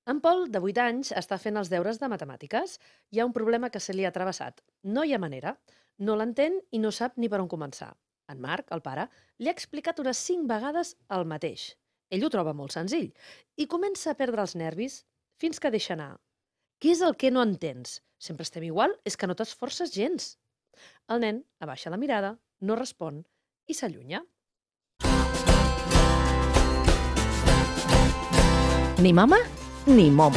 En Pol, de 8 anys, està fent els deures de matemàtiques. Hi ha un problema que se li ha travessat. No hi ha manera. No l'entén i no sap ni per on començar. En Marc, el pare, li ha explicat unes 5 vegades el mateix. Ell ho troba molt senzill i comença a perdre els nervis fins que deixa anar. Què és el que no entens? Sempre estem igual? És que no t'esforces gens. El nen abaixa la mirada, no respon i s'allunya. Ni mama ni momo.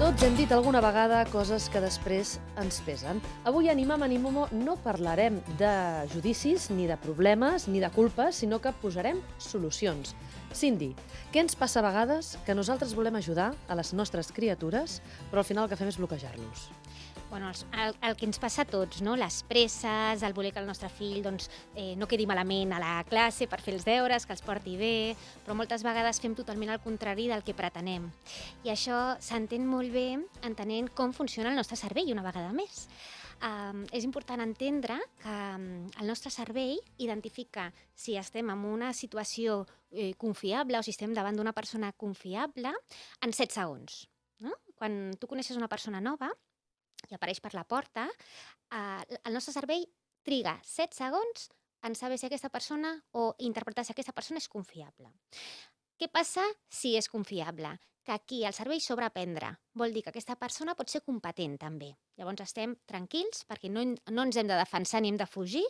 Tots hem dit alguna vegada coses que després ens pesen. Avui a Ni Mama ni Momo no parlarem de judicis, ni de problemes, ni de culpes, sinó que posarem solucions. Cindy, què ens passa a vegades que nosaltres volem ajudar a les nostres criatures, però al final el que fem és bloquejar-los? Bueno, el que ens passa a tots, no? Les presses, el voler que el nostre fill no quedi malament a la classe per fer els deures, que els porti bé, però moltes vegades fem totalment el contrari del que pretenem. I això s'entén molt bé entenent com funciona el nostre cervell una vegada més. És important entendre que el nostre cervell identifica si estem en una situació confiable o si estem davant d'una persona confiable en 7 segons. No? Quan tu coneixes una persona nova i apareix per la porta, el nostre cervell triga 7 segons en saber si aquesta persona o interpretar si aquesta persona és confiable. Què passa si és confiable? Que aquí el cervell sobreaprendre. Vol dir que aquesta persona pot ser competent també. Llavors estem tranquils perquè no ens hem de defensar ni hem de fugir.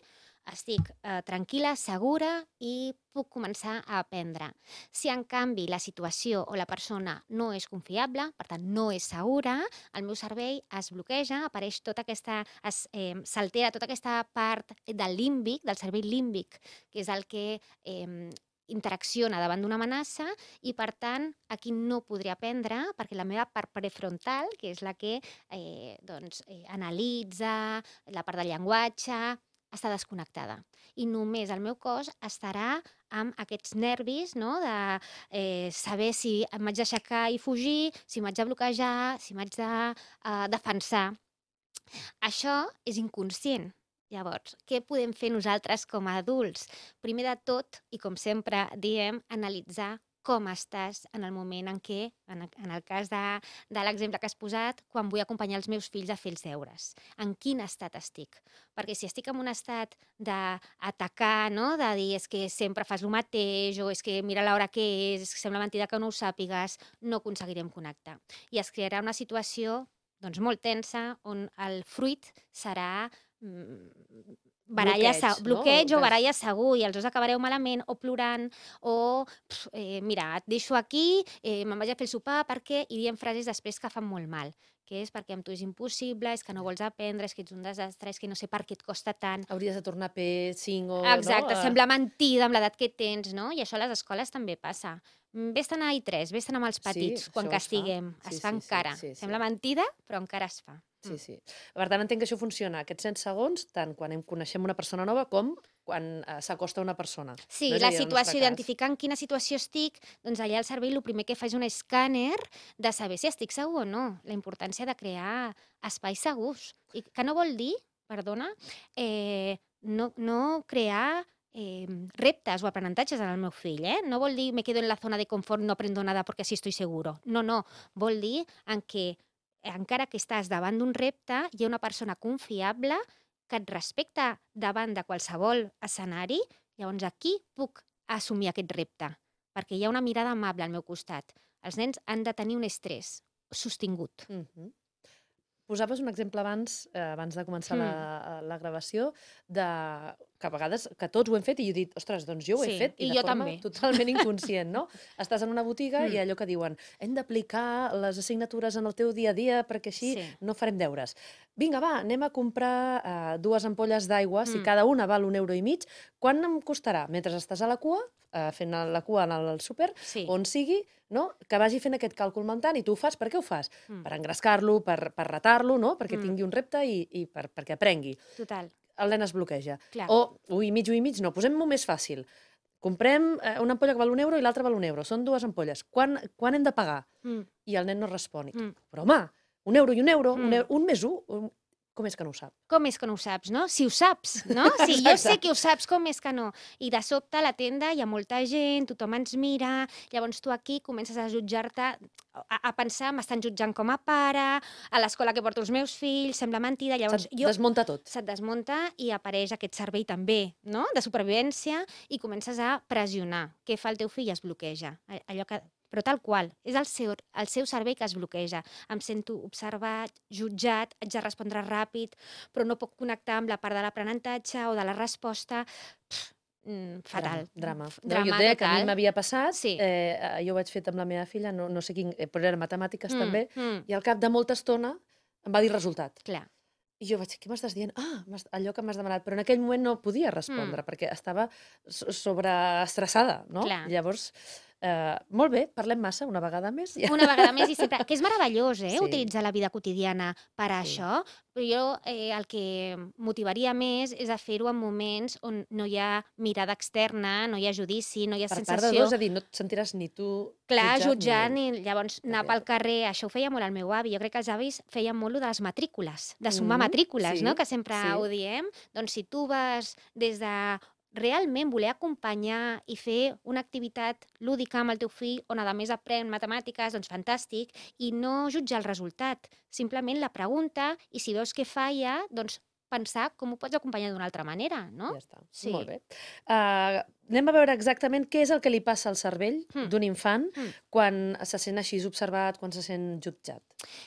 Estic tranquil·la, segura i puc començar a aprendre. Si en canvi la situació o la persona no és confiable, per tant no és segura, el meu cervell es bloqueja, apareix tota aquesta, s'altera tota aquesta part del límbic, del cervell límbic, que és el que interacciona davant d'una amenaça i, per tant, aquí no podré aprendre perquè la meva part prefrontal, que és la que analitza, la part del llenguatge, està desconnectada. I només el meu cos estarà amb aquests nervis, no? De saber si em vaig aixecar i fugir, si m'haig de bloquejar, si m'haig de defensar. Això és inconscient. Llavors, què podem fer nosaltres com a adults? Primer de tot, i com sempre diem, analitzar com estàs en el moment en què, en el cas de l'exemple que has posat, quan vull acompanyar els meus fills a fer els deures. En quin estat estic? Perquè si estic en un estat d'atacar, no? De dir és que sempre fas el mateix, o és que mira l'hora que és que sembla mentida que no ho sàpigues, no aconseguirem connectar. I es crearà una situació molt tensa on el fruit serà bloqueig o baralla segur, i els dos acabareu malament o plorant o mira, et deixo aquí, me'n vaig a fer el sopar perquè, i diem frases després que fan molt mal, que és perquè amb tu és impossible, és que no vols aprendre, és que ets un desastre, és que no sé per què et costa tant. Hauries de tornar a P5 o... Exacte, no? sembla mentida amb l'edat que tens, no? I això a les escoles també passa. Vés-te'n a I3, vés-te'n amb els petits, quan castiguem. Es fa encara. Sembla mentida, però encara es fa. Sí. Per tant, entenc que això funciona aquests 100 segons, tant quan coneixem una persona nova com quan s'acosta una persona. Sí, No és la a dir, en el nostre situació, cas. identificar en quina situació estic, doncs allà el cervell el primer que fa és un escàner de saber si estic segur o no. La importància de crear espais segurs. I que no vol dir, perdona, no crear reptes o aprenentatges en el meu fill, No vol dir me quedo en la zona de confort, no aprendo nada porque así estoy seguro. No. Vol dir en què encara que estàs davant d'un repte, hi ha una persona confiable que et respecta davant de qualsevol escenari, llavors aquí puc assumir aquest repte, perquè hi ha una mirada amable al meu costat. Els nens han de tenir un estrès sostingut. Posaves un exemple abans de començar la gravació, que a vegades que tots ho hem fet i jo he dit, ostres, doncs jo ho he Sí, fet i de jo forma també. totalment inconscient, no? Estàs en una botiga i allò que diuen hem d'aplicar les assignatures en el teu dia a dia perquè així Sí. no farem deures. Vinga, va, anem a comprar 2 ampolles d'aigua, si cada una val 1,50 €, quan em costarà? Mentre estàs a la cua, fent la cua en el súper, Sí. on sigui, no? Que vagi fent aquest càlcul mental i tu ho fas. Per què ho fas? Per engrescar-lo, per retar-lo, no? Perquè tingui un repte i perquè aprengui. Total. El nen es bloqueja. Clar. O 1,50 €, no, posem-ho més fàcil. Comprem una ampolla que val 1 € i l'altra val 1 €. Són 2 ampolles. Quan hem de pagar? I el nen no respon. Però home, 1 € i 1 €, un més un. Com és que no ho sap? Com és que no ho saps, no? Si ho saps, no? Si jo sé que ho saps, com és que no? I de sobte a la tenda hi ha molta gent, tothom ens mira, llavors tu aquí comences a jutjar-te, a pensar, m'estan jutjant com a pare, a l'escola que porto els meus fills, sembla mentida, llavors Se't desmunta tot. se't desmunta i apareix aquest cervell també, no?, de supervivència, i comences a pressionar. Què fa el teu fill? Es bloqueja. Allò que... Però tal qual, és el seu cervell que es bloqueja. Em sento observat, jutjat, haig de respondre ràpid, però no puc connectar amb la part de l'aprenentatge o de la resposta. Fatal. Drama. No, Drama jo et deia que a mi total. m'havia passat, Sí. jo ho vaig fer amb la meva filla, no sé quin, però era matemàtiques també, Mm, i al cap de molta estona em va dir resultat. clar. I jo vaig dir, què m'estàs dient? Allò que m'has demanat. Però en aquell moment no podia respondre, perquè estava sobreestressada, no? Clar. Llavors, molt bé, parlem massa una vegada més. Ja. Una vegada més i sempre... Que és meravellós, Sí. utilitzar la vida quotidiana per a Sí. això, però jo el que motivaria més és a fer-ho en moments on no hi ha mirada externa, no hi ha judici, no hi ha Per part de sensació... dos, és a dir, no et sentiràs ni tu Clar, jutjat jutjant, i llavors anar Exacte. pel carrer, això ho feia molt el meu avi. Jo crec que els avis feien molt lo de les matrícules, de sumar Mhm, matrícules, sí, no?, que sempre sí. ho diem. Doncs si tu vas des de realment voler acompanyar i fer una activitat lúdica amb el teu fill, on a més aprèn matemàtiques, doncs fantàstic, i no jutjar el resultat, simplement la pregunta, i si veus que falla, doncs pensar com ho pots acompanyar d'una altra manera, no? Ja està, Sí. molt bé. Anem a veure exactament què és el que li passa al cervell d'un infant quan se sent així observat, quan se sent jutjat.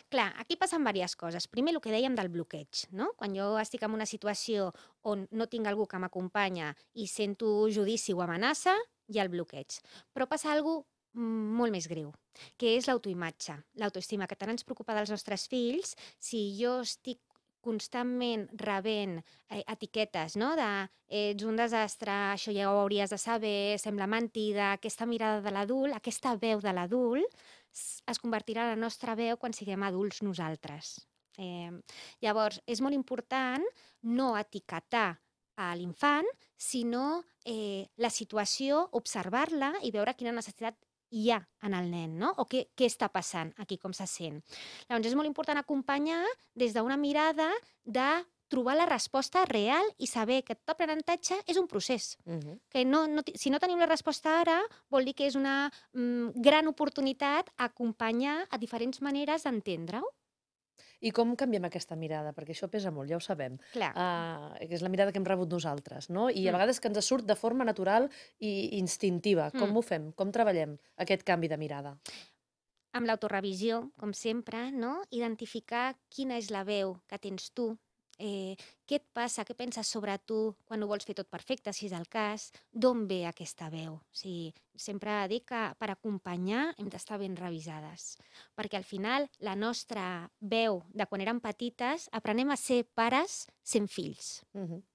Clar, aquí passen diverses coses. Primer, el que dèiem del bloqueig, no? Quan jo estic en una situació on no tinc algú que m'acompanya i sento judici o amenaça, hi ha el bloqueig. Però passa alguna cosa molt més greu, que és l'autoimatge, l'autoestima, que tant ens preocupa dels nostres fills. Si jo estic constantment rebent etiquetes, no?, de ets un desastre, això ja ho hauries de saber, sembla mentida, aquesta mirada de l'adult, aquesta veu de l'adult, es convertirà en la nostra veu quan siguem adults nosaltres. Llavors, és molt important no etiquetar a l'infant, sinó la situació, observar-la i veure quina necessitat hi ha en el nen, no? O què està passant aquí, com se sent. Llavors, és molt important acompanyar des d'una mirada de trobar la resposta real i saber que tot aprenentatge és un procés. Que si no tenim la resposta ara, vol dir que és una gran oportunitat acompanyar a diferents maneres d'entendre-ho. I com canviem aquesta mirada? Perquè això pesa molt, ja ho sabem. Clar. Que és la mirada que hem rebut nosaltres, no? I a vegades que ens surt de forma natural i instintiva. Com ho fem? Com treballem aquest canvi de mirada? Amb l'autorevisió, com sempre, no? Identificar quina és la veu que tens tu, què et passa, què penses sobre tu quan ho vols fer tot perfecte, si és el cas, d'on ve aquesta veu. O sigui, sempre dic que per acompanyar hem d'estar ben revisades, perquè al final la nostra veu de quan érem petites aprenem a ser pares sent fills.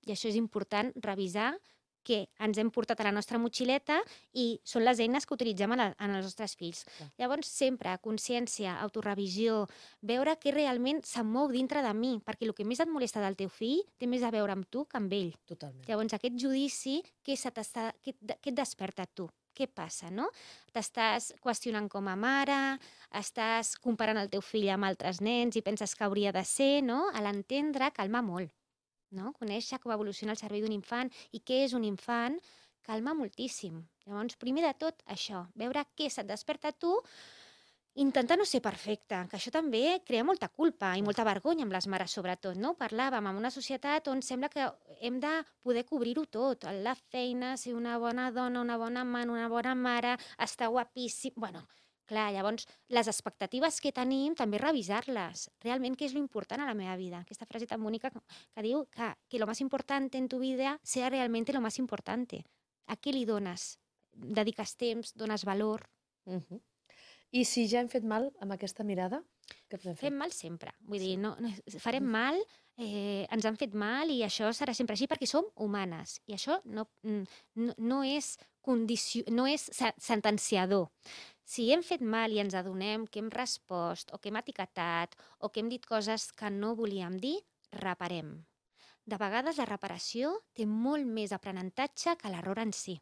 I això és important revisar, que ens hem portat a la nostra motxileta i són les eines que utilitzem en els nostres fills. Llavors, sempre consciència, autorevisió, veure què realment se'm mou dintre de mi, perquè el que més et molesta del teu fill té més a veure amb tu que amb ell. Totalment. Llavors, aquest judici, què et desperta a tu? Què passa, no? T'estàs qüestionant com a mare, estàs comparant el teu fill amb altres nens i penses que hauria de ser, no? A l'entendre, calma molt. No? Conèixer com evoluciona el cervell d'un infant i què és un infant, calma moltíssim. Llavors, primer de tot, això, veure què se't desperta a tu, intentar no ser perfecte, que això també crea molta culpa i molta vergonya amb les mares, sobretot, no? Parlàvem en una societat on sembla que hem de poder cobrir-ho tot, la feina, ser una bona dona, una bona amant, una bona mare, estar guapíssim... Bueno, clar, llavors, les expectatives que tenim, també revisar-les. Realment, què és l'important a la meva vida? Aquesta frase tan bonica que diu que lo más importante en tu vida sea realmente lo más importante. A què li dones? Dediques temps, dones valor? I si ja hem fet mal amb aquesta mirada, què podem fer? Fem mal sempre. Vull dir, farem mal, ens han fet mal i això serà sempre així perquè som humanes. I això no és sentenciador. Si hem fet mal i ens adonem que hem respost o que hem etiquetat o que hem dit coses que no volíem dir, reparem. De vegades la reparació té molt més aprenentatge que l'error en si.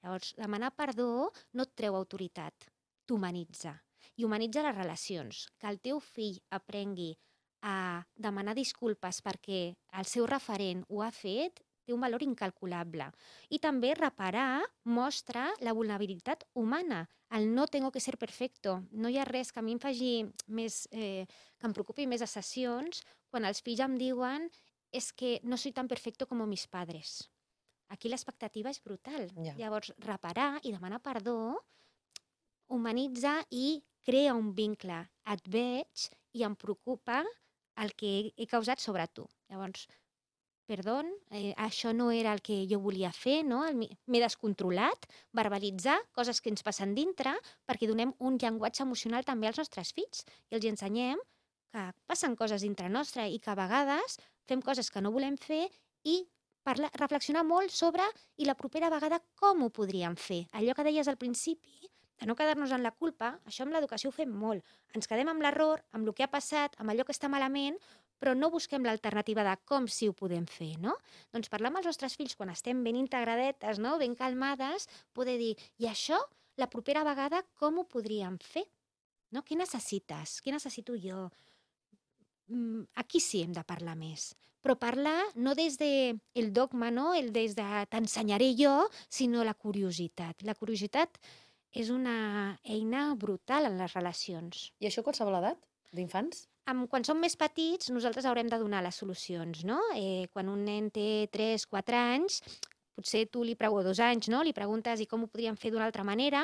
Llavors, demanar perdó no et treu autoritat, t'humanitza. I humanitza les relacions. Que el teu fill aprengui a demanar disculpes perquè el seu referent ho ha fet, té un valor incalculable. I també reparar mostra la vulnerabilitat humana. El no tengo que ser perfecto. No hi ha res que a mi em faci més, que em preocupi més a sessions quan els fills em diuen és que no soy tan perfecto como mis padres. Aquí l'expectativa és brutal. Ja. Llavors, reparar i demanar perdó humanitza i crea un vincle. Et veig i em preocupa el que he causat sobre tu. Llavors, perdó, això no era el que jo volia fer, no? M'he descontrolat, verbalitzar coses que ens passen dintre perquè donem un llenguatge emocional també als nostres fills i els ensenyem que passen coses dintre nostra i que a vegades fem coses que no volem fer i reflexionar molt sobre i la propera vegada com ho podríem fer. Allò que deies al principi, de no quedar-nos en la culpa, això amb l'educació ho fem molt. Ens quedem amb l'error, amb el que ha passat, amb allò que està malament, però no busquem l'alternativa de com sí ho podem fer, no? Doncs parlar amb els nostres fills quan estem ben integradetes, no? Ben calmades, poder dir, i això, la propera vegada, com ho podríem fer? No? Què necessites? Què necessito jo? Aquí sí hem de parlar més. Però parlar no des del dogma, no? Des de t'ensenyaré jo, sinó la curiositat. La curiositat és una eina brutal en les relacions. I això a qualsevol edat? D'infants? Quan som més petits, nosaltres haurem de donar les solucions, no? Quan un nen té 3-4 anys, potser tu o 2 anys, no? Li preguntes i com ho podríem fer d'una altra manera,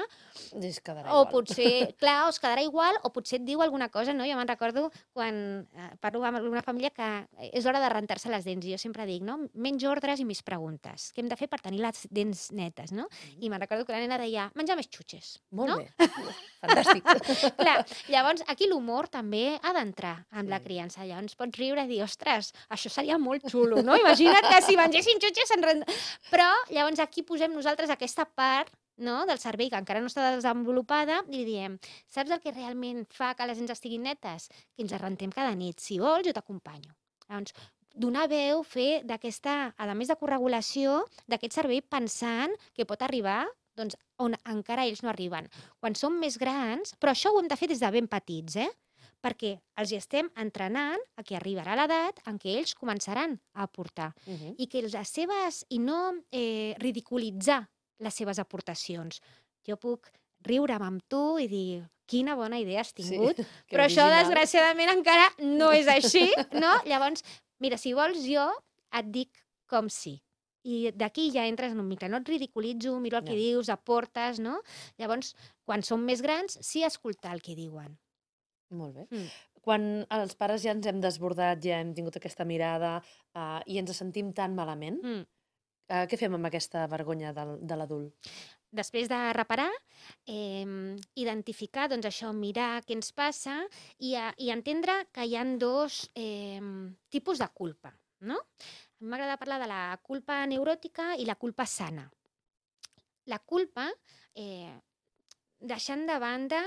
Es quedarà o igual. potser, clar, es quedarà igual, o potser et diu alguna cosa, no? Jo me'n recordo quan parlo amb alguna família que és hora de rentar-se les dents, i jo sempre dic, no? Menys ordres i més preguntes. Què hem de fer per tenir les dents netes, no? I me'n recordo que la nena deia, menjar més xutxes. Molt no? bé. Fantàstic. Clar, llavors aquí l'humor també ha d'entrar en la Sí. criança. Llavors pots riure i dir, ostres, això seria molt xulo, no? Imagina't que si mengessin xutxes Però llavors aquí posem nosaltres aquesta part, no, del cervell que encara no està desenvolupada i li diem, saps el que realment fa que les dents estiguin netes? Que ens arrentem cada nit. Si vols, jo t'acompanyo. Llavors, donar veu, fer d'aquesta, a més de corregulació, d'aquest cervell pensant que pot arribar doncs, on encara ells no arriben. Quan som més grans, però això ho hem de fer des de ben petits, perquè els hi estem entrenant a que arribarà l'edat en què ells començaran a aportar i que les seves, i no ridiculitzar les seves aportacions. Jo puc riure'm amb tu i dir quina bona idea has tingut, que però això original. desgraciadament encara no és així, no? Llavors, mira, si vols jo et dic com sí. I d'aquí ja entres en un vincle. No et ridiculitzo, miro el que Ja. dius, aportes, no? Llavors, quan som més grans, sí escoltar el que diuen. Molt bé. Quan els pares ja ens hem desbordat, ja hem tingut aquesta mirada i ens sentim tan malament, què fem amb aquesta vergonya de l'adult? Després de reparar, identificar, doncs això, mirar què ens passa i entendre que hi ha 2 tipus de culpa, no? A mi m'agrada parlar de la culpa neuròtica i la culpa sana. La culpa, deixant de banda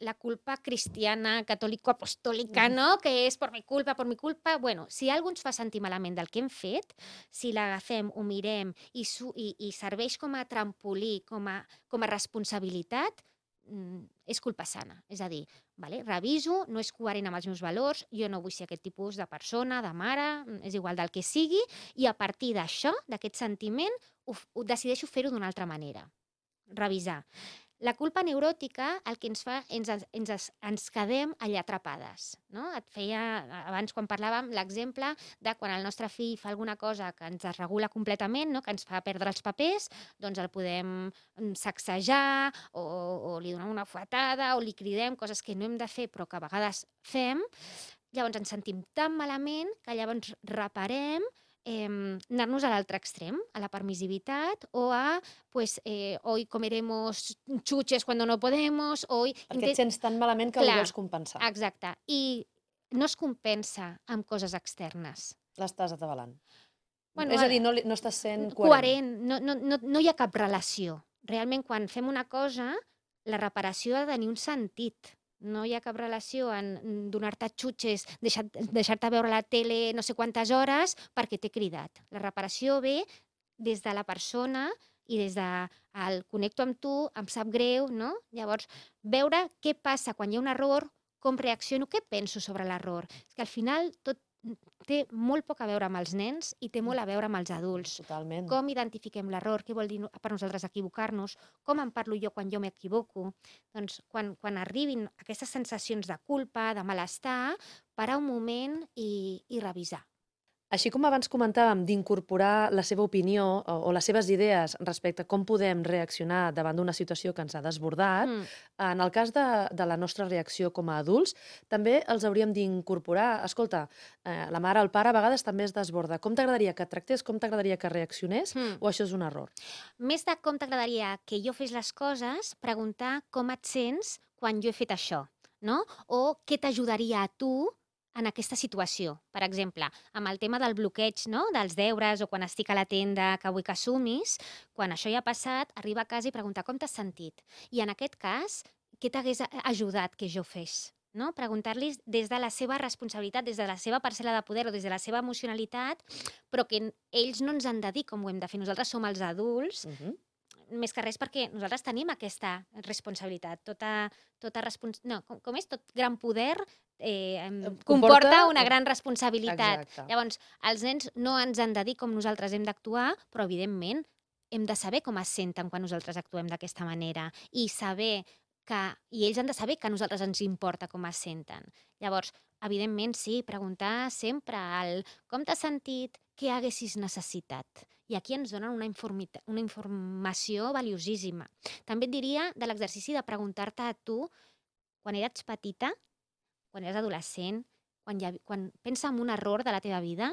la culpa cristiana, catòlico-apostòlica, no? Que és per mi culpa. Bueno, si algú ens fa sentir malament del que hem fet, si l'agafem, ho mirem i serveix com a trampolí, com a responsabilitat, és culpa sana. És a dir, vale, reviso, no és coherent amb els meus valors, jo no vull ser aquest tipus de persona, de mare, és igual del que sigui, i a partir d'això, d'aquest sentiment, ho decideixo fer-ho d'una altra manera. Revisar. La culpa neuròtica el que ens fa, ens quedem allà atrapades. No? Et feia, abans quan parlàvem, l'exemple de quan el nostre fill fa alguna cosa que ens desregula completament, no? Que ens fa perdre els papers, doncs el podem sacsejar o li donem una fuetada o li cridem coses que no hem de fer però que a vegades fem. Llavors ens sentim tan malament que llavors reparem anar-nos a l'altre extrem, a la permissivitat o a, pues, hoy comeremos chuches cuando no podemos, hoy... Perquè et sents tan malament que ho vols compensar. Exacte. I no es compensa amb coses externes. L'estàs atabalant. Bueno, és a dir, no estàs sent coherent. No hi ha cap relació. Realment, quan fem una cosa, la reparació ha de tenir un sentit. No hi ha cap relació en donar-te xutxes, deixar-te veure la tele no sé quantes hores perquè t'he cridat. La reparació ve des de la persona i des de el connecto amb tu, em sap greu, no? Llavors, veure què passa quan hi ha un error, com reacciono, què penso sobre l'error. És que al final tot té molt poc a veure amb els nens i té molt a veure amb els adults. Totalment. Com identifiquem l'error, què vol dir per nosaltres equivocar-nos, com em parlo jo quan jo m'equivoco. Doncs quan arribin aquestes sensacions de culpa, de malestar, parar un moment i revisar. Així com abans comentàvem d'incorporar la seva opinió o les seves idees respecte a com podem reaccionar davant d'una situació que ens ha desbordat, en el cas de la nostra reacció com a adults, també els hauríem d'incorporar, escolta, la mare o el pare a vegades també es desborda. Com t'agradaria que et tractés, com t'agradaria que reaccionés, o això és un error? Més de com t'agradaria que jo fes les coses, preguntar com et sents quan jo he fet això, no? O què t'ajudaria a tu en aquesta situació. Per exemple, amb el tema del bloqueig, no? Dels deures o quan estic a la tenda que vull que assumis, quan això ja ha passat, arriba a casa i preguntar com t'has sentit. I en aquest cas, què t'hagués ajudat que jo fes? No? Preguntar-los des de la seva responsabilitat, des de la seva parcel·la de poder o des de la seva emocionalitat, però que ells no ens han de dir com ho hem de fer. Nosaltres som els adults, més que res perquè nosaltres tenim aquesta responsabilitat. Com és? Tot gran poder comporta una gran responsabilitat. Exacte. Llavors, els nens no ens han de dir com nosaltres hem d'actuar, però evidentment hem de saber com es senten quan nosaltres actuem d'aquesta manera i ells han de saber que a nosaltres ens importa com es senten. Llavors, evidentment, sí, preguntar sempre com t'has sentit, què haguessis necessitat. I aquí ens donen una informació valiosíssima. També et diria de l'exercici de preguntar-te a tu, quan eres petita, quan eres adolescent, quan pensa en un error de la teva vida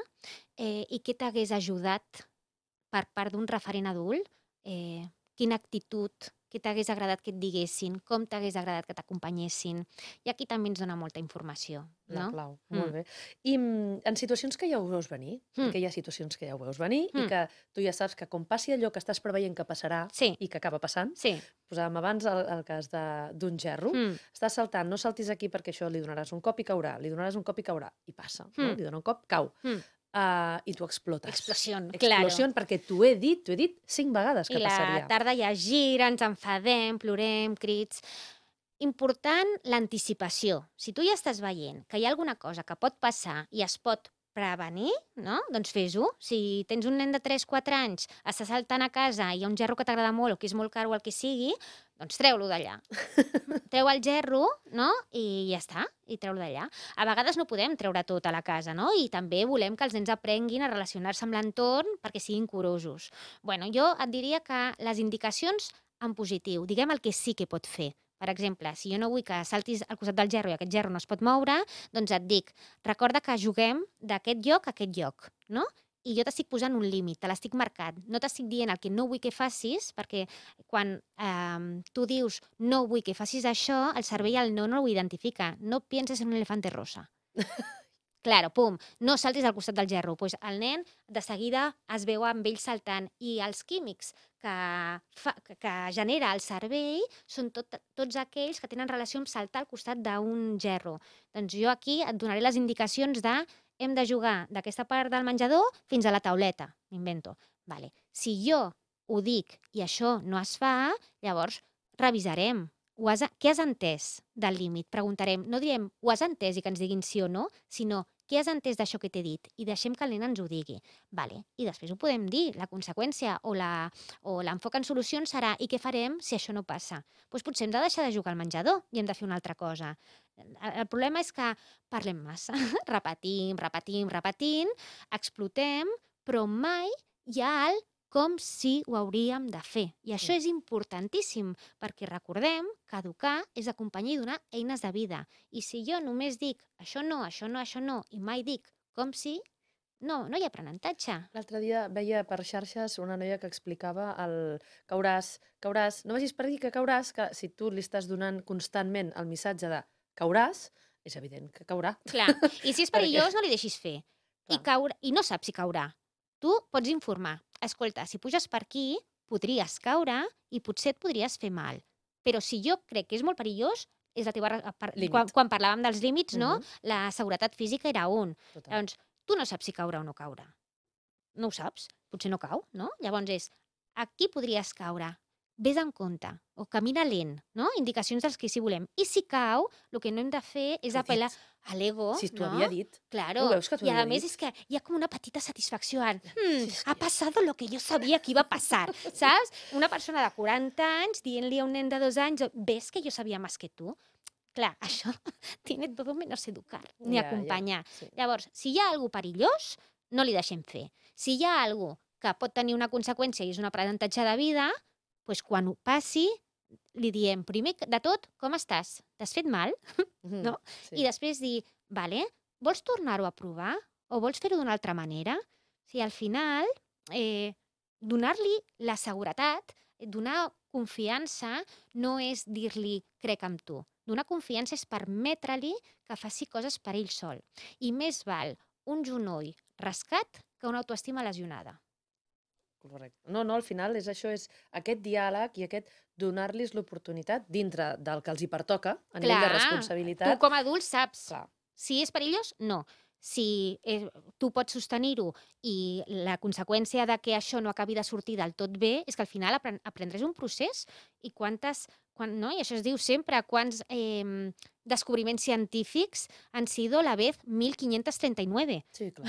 i què t'hagués ajudat per part d'un referent adult, quina actitud, què t'hagués agradat que et diguessin, com t'hagués agradat que t'acompanyessin. I aquí també ens dona molta informació. La No? clau, molt bé. I en situacions que ja ho veus venir, que hi ha situacions que ja ho veus venir i que tu ja saps que com passi allò que estàs preveient que passarà Sí. i que acaba passant, Sí. posàvem abans el cas d'un gerro, estàs saltant, no saltis aquí perquè això li donaràs un cop i caurà, li donaràs un cop i caurà, i passa, no? Li dona un cop, cau. I tu explotes. Explosió, Explosió, perquè t'ho he dit 5 vegades que I la passaria. tarda ja gira, ens enfadem, plorem, crits. Important l'anticipació. Si tu ja estàs veient que hi ha alguna cosa que pot passar i es pot prevenir, no? Doncs fes-ho. Si tens un nen de 3-4 anys, està saltant a casa i hi ha un gerro que t'agrada molt o que és molt car o el que sigui, doncs treu-lo d'allà. Treu el gerro, no? I ja està, i treu-lo d'allà. A vegades no podem treure tot a la casa, no? I també volem que els nens aprenguin a relacionar-se amb l'entorn perquè siguin curosos. Bueno, jo et diria que les indicacions en positiu, diguem el que sí que pot fer. Per exemple, si jo no vull que saltis al costat del gerro i aquest gerro no es pot moure, doncs et dic, recorda que juguem d'aquest lloc a aquest lloc, no? I jo t'estic posant un límit, te l'estic marcant. No t'estic dient el que no vull que facis, perquè quan tu dius no vull que facis això, el cervell el no ho identifica. No pienses en un elefante rosa. Claro, pum, no saltis al costat del gerro. Pues el nen de seguida es veu amb ell saltant i els químics que genera el cervell són tots aquells que tenen relació amb saltar al costat d'un gerro. Doncs jo aquí et donaré les indicacions de hem de jugar d'aquesta part del menjador fins a la tauleta, m'invento. Vale. Si jo ho dic i això no es fa, llavors revisarem. Què has entès del límit? Preguntarem. No direm ho has entès i que ens diguin sí o no, sinó què has entès d'això que t'he dit? I deixem que el nen ens ho digui. Vale. I després ho podem dir. La conseqüència o l'enfoc en solucions serà i què farem si això no passa? Doncs potser hem de deixar de jugar al menjador i hem de fer una altra cosa. El problema és que parlem massa. Repetint, explotem, però mai hi ha com si ho hauríem de fer. I això és importantíssim, perquè recordem que educar és acompanyar i donar eines de vida. I si jo només dic això no, i mai dic com si, no hi ha aprenentatge. L'altre dia veia per xarxes una noia que explicava el cauràs, no vagis per dir que cauràs, que si tu li estàs donant constantment el missatge de cauràs, és evident que caurà. Clar, i si és perillós no li deixis fer. I no saps si caurà. Tu pots informar. Escolta, si puges per aquí, podries caure i potser et podries fer mal. Però si jo crec que és molt perillós, és la teva... Quan parlàvem dels límits, no? La seguretat física era un. Llavors, tu no saps si caurà o no caurà. No ho saps. Potser no cau, no? Llavors aquí podries caure. vés en compte, o camina lent, no? Indicacions dels que sí volem. I si cau, el que no hem de fer és T'ho he apel·lar dit. a l'ego, Si t'ho no? havia dit. Claro. No veus que t'ho I a havia més dit? és que hi ha com una petita satisfacció en Sí, és ha que- passat lo que jo sabia que iba a passar, saps? Una persona de 40 anys dient-li a un nen de 2 anys ves que jo sabia més que tu? Clar, això tiene todo menos educar, ni acompanyar. Sí. Llavors, si hi ha algú perillós, no li deixem fer. Si hi ha algú que pot tenir una conseqüència i és un aprenentatge de vida, doncs quan ho passi, li diem, primer de tot, com estàs? T'has fet mal? Mhm, No? sí. I després dir, vale, vols tornar-ho a provar? O vols fer-ho d'una altra manera? O sigui, al final, donar-li la seguretat, donar confiança no és dir-li crec en tu. Donar confiança és permetre-li que faci coses per ell sol. I més val un genoll rascat que una autoestima lesionada. Correcte. No, al final és això, és aquest diàleg i aquest donar-los l'oportunitat dintre del que els hi pertoca a nivell de Tu responsabilitat. com a adult saps. Clar. Si és perillós, no. Si tu pots sostenir-ho i la conseqüència de que això no acabi de sortir del tot bé és que al final aprendràs un procés i no? I això es diu sempre, quants descobriments científics han sido la vez 1539. Sí, clar.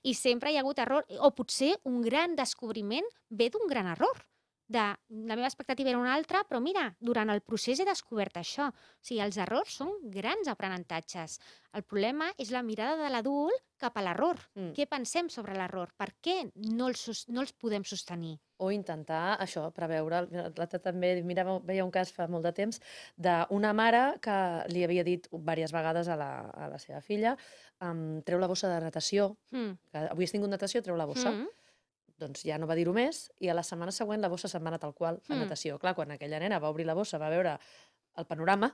I sempre hi ha hagut error. O potser un gran descobriment ve d'un gran error. La meva expectativa era una altra, però mira, durant el procés he descobert això. O sigui, els errors són grans aprenentatges. El problema és la mirada de l'adult cap a l'error. Què pensem sobre l'error? Per què no els podem sostenir? O intentar, això, preveure. L'altre també, mira, veia un cas fa molt de temps d'una mare que li havia dit diverses vegades a la seva filla treu la bossa de natació, que avui has tingut natació, treu la bossa. Doncs ja no va dir-ho més, i a la setmana següent la bossa se'n va anar tal qual a natació. Clar, quan aquella nena va obrir la bossa, va veure el panorama,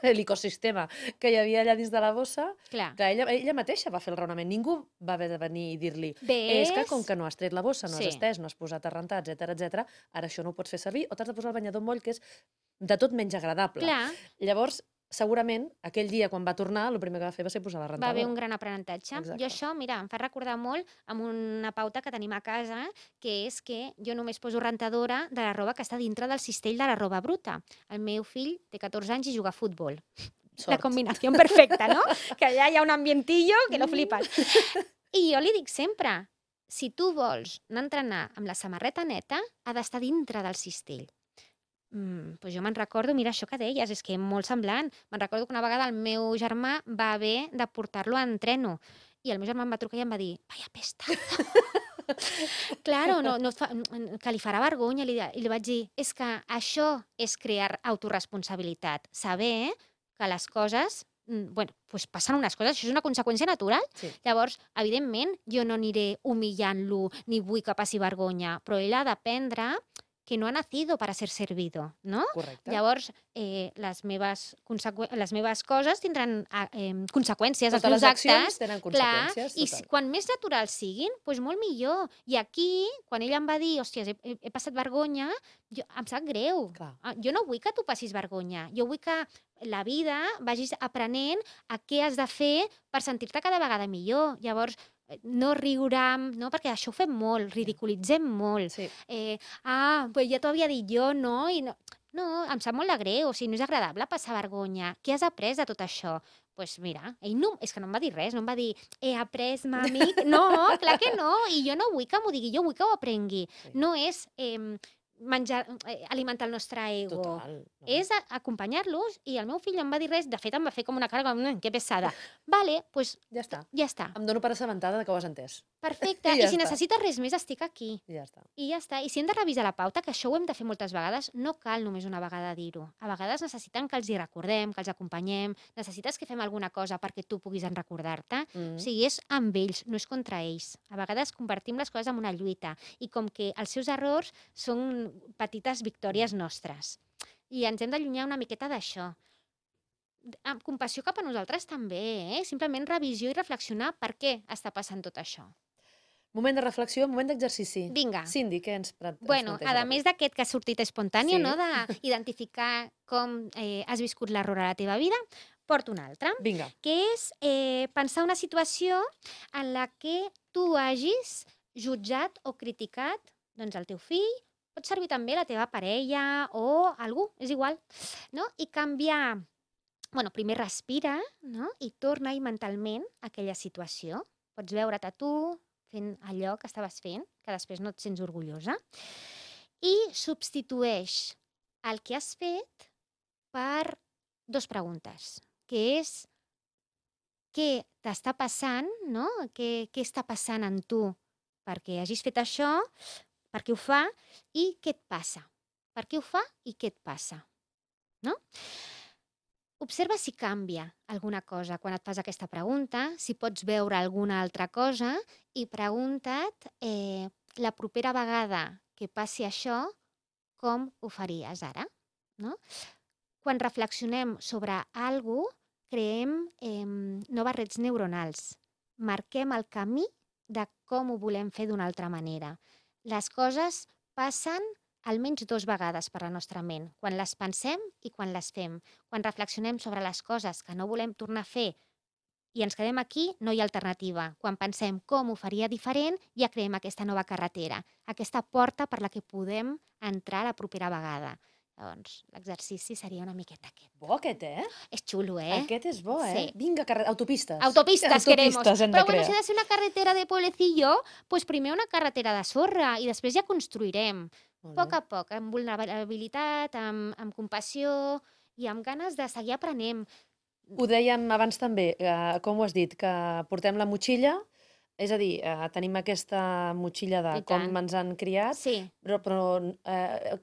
l'ecosistema que hi havia allà dins de la bossa, Clar. que ella mateixa va fer el raonament. Ningú va haver de venir i dir-li és que com que no has tret la bossa, no has estès, no has posat a rentar, etc, ara això no ho pots fer servir, o t'has de posar el banyador moll, que és de tot menys agradable. Clar. Llavors, segurament, aquell dia, quan va tornar, el primer que va fer va ser posar la rentadora. Va haver un gran aprenentatge. Exacte. Jo això, mira, em fa recordar molt amb una pauta que tenim a casa, que és que jo només poso rentadora de la roba que està dintre del cistell de la roba bruta. El meu fill té 14 anys i juga a futbol. Sort. La combinació perfecta, no? Que allà hi ha un ambientillo que lo flipes. I jo li dic sempre, si tu vols anar a entrenar amb la samarreta neta, ha d'estar dintre del cistell. Pues jo me'n recordo, mira, això que deies, és que molt semblant. Me'n recordo que una vegada el meu germà va haver de portar-lo a entreno i el meu germà em va trucar i em va dir vaya pestaza. Claro, que li farà vergonya. I li vaig dir, és que això és crear autoresponsabilitat. Saber que les coses pues passen unes coses, això és una conseqüència natural. Sí. Llavors, evidentment, jo no aniré humillant-lo ni vull que passi vergonya, però ell ha d'aprendre que no ha nacido para ser servido, no? Correcte. Llavors, les meves coses tindran conseqüències, els Totes meus les accions actes. tenen Clar, conseqüències. i Total. quan més naturals siguin, doncs molt millor. I aquí, quan ella em va dir, hòsties, he passat vergonya, em sap greu. Clar. Jo no vull que tu passis vergonya. Jo vull que la vida vagis aprenent a què has de fer per sentir-te cada vegada millor. Llavors, no riurem, no? Perquè això ho fem molt, ridiculitzem molt. Sí. Pues ja t'ho havia dit jo, no? I no, em sap molt de greu, o sigui, no és agradable passar vergonya. Què has après de tot això? Doncs mira, ell no, és que no em va dir res, no em va dir he après, mami. No, clar que no, i jo no vull que m'ho digui, jo vull que ho aprengui. Sí. No és alimentar el nostre ego. Total. No. És acompanyar-los, i el meu fill no em va dir res, de fet em va fer com una cara, que pesada. Vale, doncs Ja està. ja està. Em dono per assabentada de que ho has entès. Perfecte, I ja i si està. necessites res més, estic aquí. I ja està. I ja està. I si hem de revisar la pauta, que això ho hem de fer moltes vegades, no cal només una vegada dir-ho. A vegades necessiten que els hi recordem, que els acompanyem, necessites que fem alguna cosa perquè tu puguis en recordar-te. O sigui, és amb ells, no és contra ells. A vegades convertim les coses en una lluita i com que els seus errors són petites victòries nostres. I ens hem d'allunyar una miqueta d'això. Amb compassió cap a nosaltres també, Simplement revisió i reflexionar per què està passant tot això. Moment de reflexió, moment d'exercici. Vinga. Cindy, què ens Bueno, a més d'aquest que ha sortit espontani, Sí. no? D'identificar com has viscut l'error a la teva vida, porto un altre, Vinga. que és pensar una situació en la que tu hagis jutjat o criticat doncs, el teu fill Pot servir també la teva parella o algú, és igual, no? I canviar, primer respira, no? I torna-hi mentalment a aquella situació. Pots veure't a tu fent allò que estaves fent, que després no et sents orgullosa, i substitueix el que has fet per 2 preguntes, que és què t'està passant, no? Què està passant en tu perquè hagis fet això, per què ho fa i què et passa. Per què ho fa i què et passa, no? Observa si canvia alguna cosa quan et fas aquesta pregunta, si pots veure alguna altra cosa i pregunta't la propera vegada que passi això, com ho faries ara, no? Quan reflexionem sobre alguna cosa, creem noves rets neuronals. Marquem el camí de com ho volem fer d'una altra manera. Les coses passen almenys 2 vegades per la nostra ment, quan les pensem i quan les fem. Quan reflexionem sobre les coses que no volem tornar a fer i ens quedem aquí, no hi ha alternativa. Quan pensem com ho faria diferent, ja creem aquesta nova carretera, aquesta porta per la que podem entrar la propera vegada. Llavors, l'exercici seria una miqueta aquest. Bo aquest, És xulo, eh? Aquest és bo, Sí. Vinga, autopistes. Autopistes queremos. hem de Però crear. si ha de ser una carretera de pueblecillo, pues primer una carretera de sorra i després ja construirem. Molt Poc bé. a poc, amb vulnerabilitat, amb compassió i amb ganes de seguir aprenent. Ho dèiem abans també, com ho has dit, que portem la motxilla, és a dir, tenim aquesta motxilla de I com tant. ens han criat, Sí, però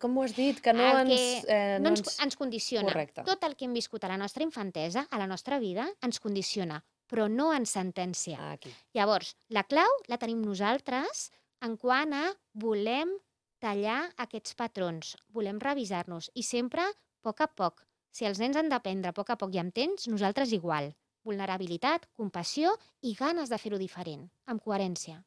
com ho has dit? Que no el ens... que no ens condiciona. Correcte. Tot el que hem viscut a la nostra infantesa, a la nostra vida, ens condiciona, però no ens sentencia. Aquí. Llavors, la clau la tenim nosaltres en quant a volem tallar aquests patrons, volem revisar-nos i sempre a poc. Si els nens han d'aprendre a poc i amb temps, nosaltres igual. Vulnerabilitat, compassió i ganes de fer-ho diferent, amb coherència.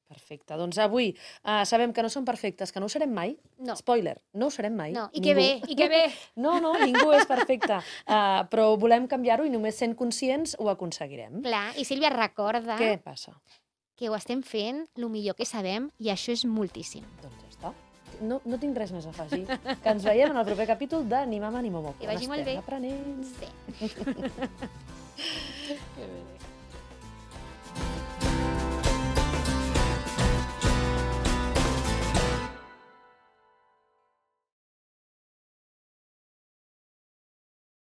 Perfecte. Doncs avui sabem que no som perfectes, que no ho serem mai. No. Spoiler, no ho serem mai. No, i Ningú. que bé. No, ningú és perfecte. Però volem canviar-ho i només sent conscients ho aconseguirem. Clar, i Sílvia, recorda Què passa? que ho estem fent el millor que sabem i això és moltíssim. Doncs ja està. No tinc res més a afegir. Que ens veiem en el proper capítol de Ni mama ni momo. Que vagi molt bé. Aprenent. Sí.